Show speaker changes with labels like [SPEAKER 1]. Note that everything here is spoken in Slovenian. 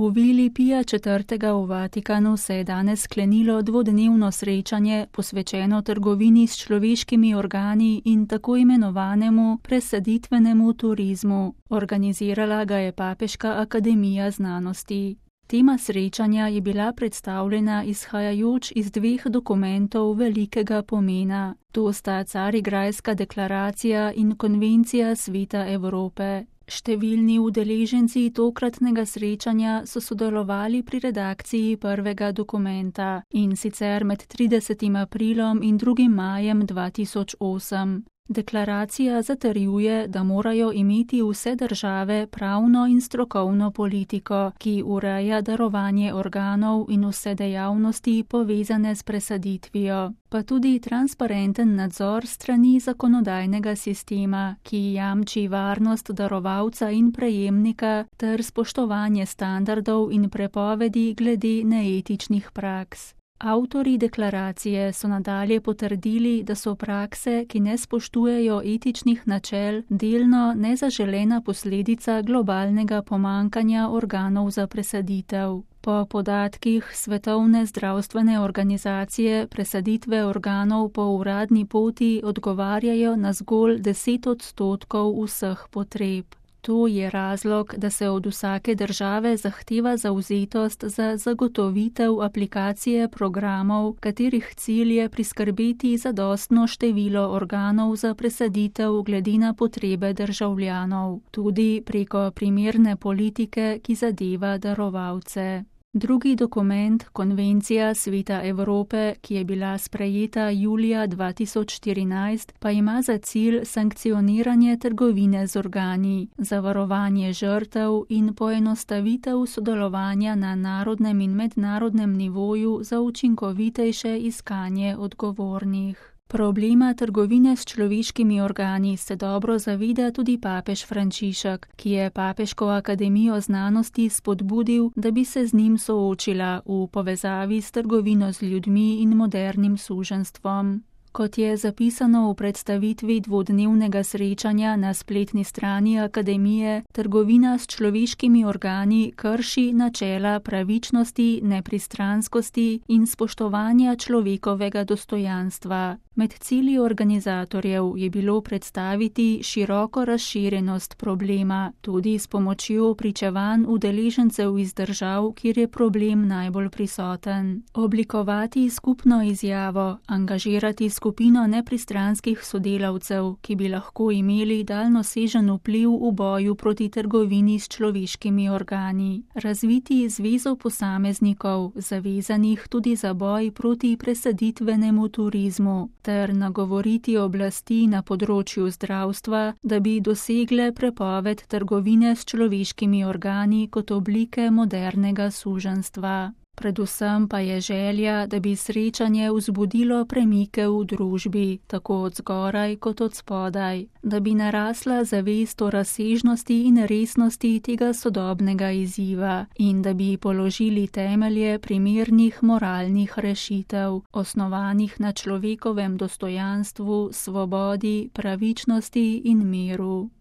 [SPEAKER 1] V vili Pija IV. V Vatikanu se je danes sklenilo dvodnevno srečanje posvečeno trgovini s človeškimi organi in tako imenovanemu presaditvenemu turizmu. Organizirala ga je Papeška akademija znanosti. Tema srečanja je bila predstavljena izhajajoč iz dveh dokumentov velikega pomena. To sta Carigrajska deklaracija in Konvencija Sveta Evrope. Številni udeleženci tokratnega srečanja so sodelovali pri redakciji prvega dokumenta, in sicer med 30. aprilom in 2. majem 2008. Deklaracija zatrjuje, da morajo imeti vse države pravno in strokovno politiko, ki ureja darovanje organov in vse dejavnosti povezane s presaditvijo, pa tudi transparenten nadzor strani zakonodajnega sistema, ki jamči varnost darovalca in prejemnika ter spoštovanje standardov in prepovedi glede neetičnih praks. Avtorji deklaracije so nadalje potrdili, da so prakse, ki ne spoštujejo etičnih načel, delno nezaželena posledica globalnega pomankanja organov za presaditev. Po podatkih Svetovne zdravstvene organizacije presaditve organov po uradni poti odgovarjajo na zgolj 10% vseh potreb. To je razlog, da se od vsake države zahteva zavzetost za zagotovitev aplikacije programov, katerih cilj je priskrbeti zadostno število organov za presaditev glede na potrebe državljanov, tudi preko primerne politike, ki zadeva darovalce. Drugi dokument, Konvencija Sveta Evrope, ki je bila sprejeta julija 2014, pa ima za cilj sankcioniranje trgovine z organi, zavarovanje žrtev in poenostavitev sodelovanja na narodnem in mednarodnem nivoju za učinkovitejše iskanje odgovornih. Problema trgovine s človeškimi organi se dobro zaveda tudi papež Frančišek, ki je Papeško akademijo znanosti spodbudil, da bi se z njim soočila v povezavi s trgovino z ljudmi in modernim suženjstvom. Kot je zapisano v predstavitvi dvodnevnega srečanja na spletni strani akademije, trgovina s človeškimi organi krši načela pravičnosti, nepristranskosti in spoštovanja človekovega dostojanstva. Med cilji organizatorjev je bilo predstaviti široko razširjenost problema, tudi s pomočjo pričevanj udeležencev iz držav, kjer je problem najbolj prisoten. Oblikovati skupno izjavo, angažirati skupino nepristranskih sodelavcev, ki bi lahko imeli daljnosežen vpliv v boju proti trgovini s človeškimi organi. Razviti zvezo posameznikov, zavezanih tudi za boj proti presaditvenemu turizmu, ter nagovoriti oblasti na področju zdravstva, da bi dosegle prepoved trgovine s človeškimi organi kot oblike modernega suženjstva. Predvsem pa je želja, da bi srečanje vzbudilo premike v družbi, tako od zgoraj kot od spodaj, da bi narasla zavest o razsežnosti in resnosti tega sodobnega izziva in da bi položili temelje primernih moralnih rešitev, osnovanih na človekovem dostojanstvu, svobodi, pravičnosti in miru.